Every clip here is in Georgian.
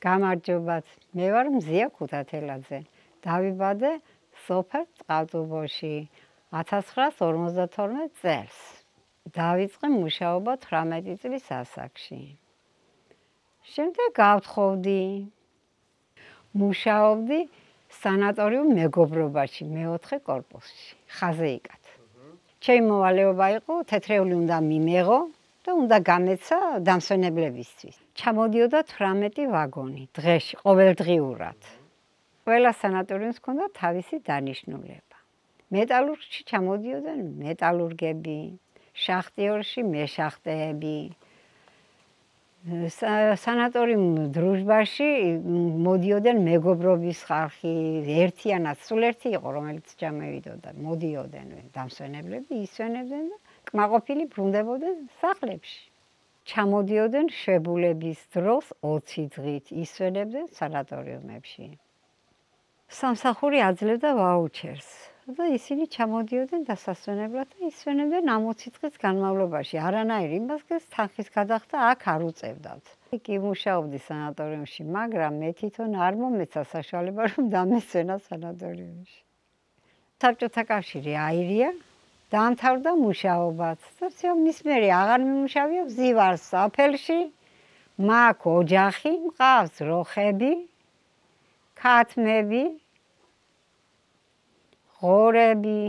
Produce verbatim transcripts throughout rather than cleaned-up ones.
გამარჯობათ, მე ვარ მზია ქუთათელაძე. დავიბადე სოფელ წყალტუბოში ათას ცხრაას ორმოცდათორმეტ წელს. დავიწყე მუშაობა თვრამეტი წლის ასაკში. შემდეგ გავთხოვდი. მუშაობდი სანატორიუმ მეგობრობაში, მეოთხე კორპუსში, ხაზეიკად. ჩემი მოვალეობა იყო თეთრეული უნდა მიმეღო და უნდა გამეცა დამსვენებლებისთვის. ჩამოდიოდა თვრამეტი ვაგონი დღეში, ყოველდღიურად. ყველა სანატორიუმს ჰქონდა თავისი დანიშნულება. მეტალურგში ჩამოდიოდნენ მეტალურგები, შახტიორში მეშახტეები. სანატორიუმ დრუჟბაში მოდიოდნენ მეგობრობის ხალხი, ერთიანად, სულ ერთი იყო, რომელიც ჩამოვიდოდა, მოდიოდნენ დამსვენებლები, ისვენებდნენ და კმაყოფილი ბრუნდებოდნენ სახლებში. ჩამოდიოდნენ შვებულების დროს ოცი დღით, ისვენებდნენ სანატორიუმებში. სამსახური აძლევდა ვაუჩერს და ისინი ჩამოდიოდნენ დასასვენებლად და ისვენებდნენ ამ ოცი დღის განმავლობაში. არანაირ იმას თანხის გადახდა აქ არ უწევდათ. იქ იმუშაობდი სანატორიუმში, მაგრამ მე თვითონ არ მომეცა საშუალება, რომ დამესვენა სანატორიუმში. საბჭოთა კავშირი აირია, დაამთავრდა მუშაობაც. და მის მერე აღარ მიმუშავია ვზივარ საფელში, მაქვს ოჯახი, მყავს როხები, ქათმები, ღორები.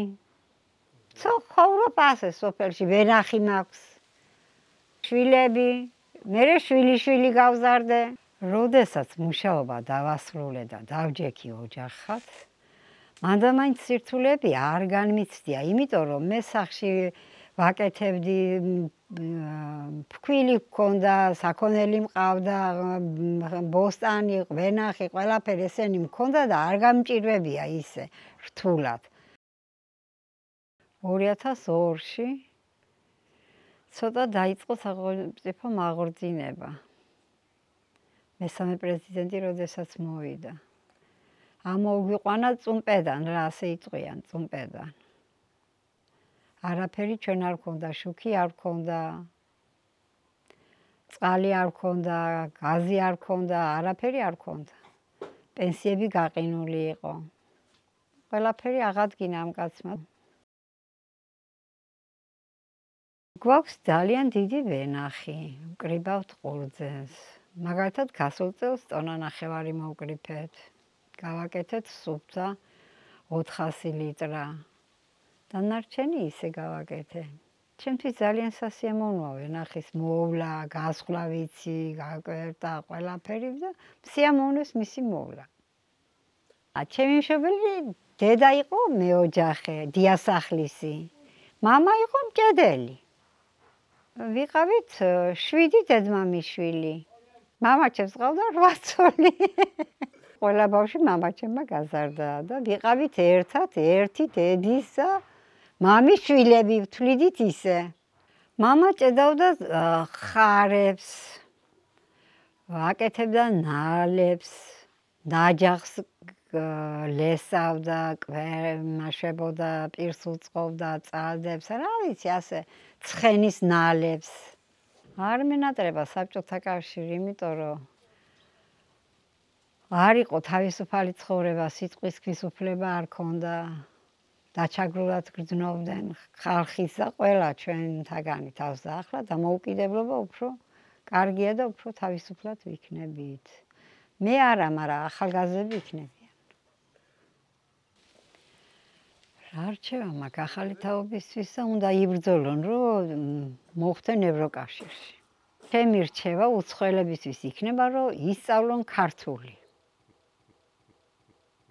ცხოვრობ ასე სოფელში, ვენახი მაქვს, შვილები, მერე შვილი-შვილი გავზარდე. როდესაც მუშაობა დავასრულე და დავჯექი ოჯახად, მანდა მაინც სირთულეები არ განმიცდია, იმიტომ რომ მე სახლში ვაკეთებდი, ფქვილი მქონდა, საქონელი მყავდა, ბოსტანი, ვენახი, ყველაფერი ესენი მქონდა და არ გამჭირვებია ისე რთულად. ორი ათას ორში ცოტა დაიწყო სახელმწიფო მაღორძინება. მესამე პრეზიდენტი როდესაც მოვიდა. ამოგვიყვანა წუმპედან, რა ასე იწყვიან, წუმპედან. არაფერი ჩვენ არ გქონდა, შუქი არ გქონდა, წყალი არ გქონდა, გაზი არ გქონდა, არაფერი არ გქონდა. პენსიები გაყინული იყო. ყველაფერი აღადგინა ამ კაცმა. გვაქვს ძალიან დიდი ვენახი, ვკრიბავთ ყურძენს. მაგალითად გასულ წელს ტონა ნახევარი მოვკრიფეთ. გავაკეთეთ სუფთა ოთხასი litrა. დანარჩენი ისე გავაკეთე. ჩემთვის ძალიან სასიამოვნოა ვენახის მოვლა, გასხლა ვიცი, გაკვერტა ყველაფერი და სიამოვნეს მისი მოვლა. ჩემი მშობელი დედა იყო მეოჯახე, დიასახლისი. მამა იყო მჭედელი. ვიყავით შვიდი დედმამიშვილი. მამა ჩემს ყავდა რვა ცოლი. ყველა ბავშვი მამაჩემმა გაზარდა და ვიყავით ერთად, ერთი დედისა, მამის შვილები ვთვლიდით ისე. მამა ჭედავდა ხარებს, აკეთებდა ნალებს, ნაჯახს ლესავდა, კვემაშებოდა, პირს უწყობდა, წადებს, რა ვიცი, ასე ცხენის ნალებს. არ მენატრება საბჭოთა კავშირი, იმიტომ რომ არ იყო თავისუფალი ცხოვრება, სიტყვის უფლება არ ქონდა. დაჩაგრულად გრძნობდნენ ხალხის და ყველა ჩვენთაგანი თავს და ახლა დამოუკიდებლობა უფრო კარგია და უფრო თავისუფლად ვიქნებით. მე არა, მაგრამ ახალგაზრდები იქნებიან. რა რჩება მაგ ახალი თაობისთვის და უნდა იბრძოლონ, რომ მოხვდნენ ევროკავშირში. ჩემი რჩევა უცხოელებისთვის იქნება, რომ ისწავლონ ქართული.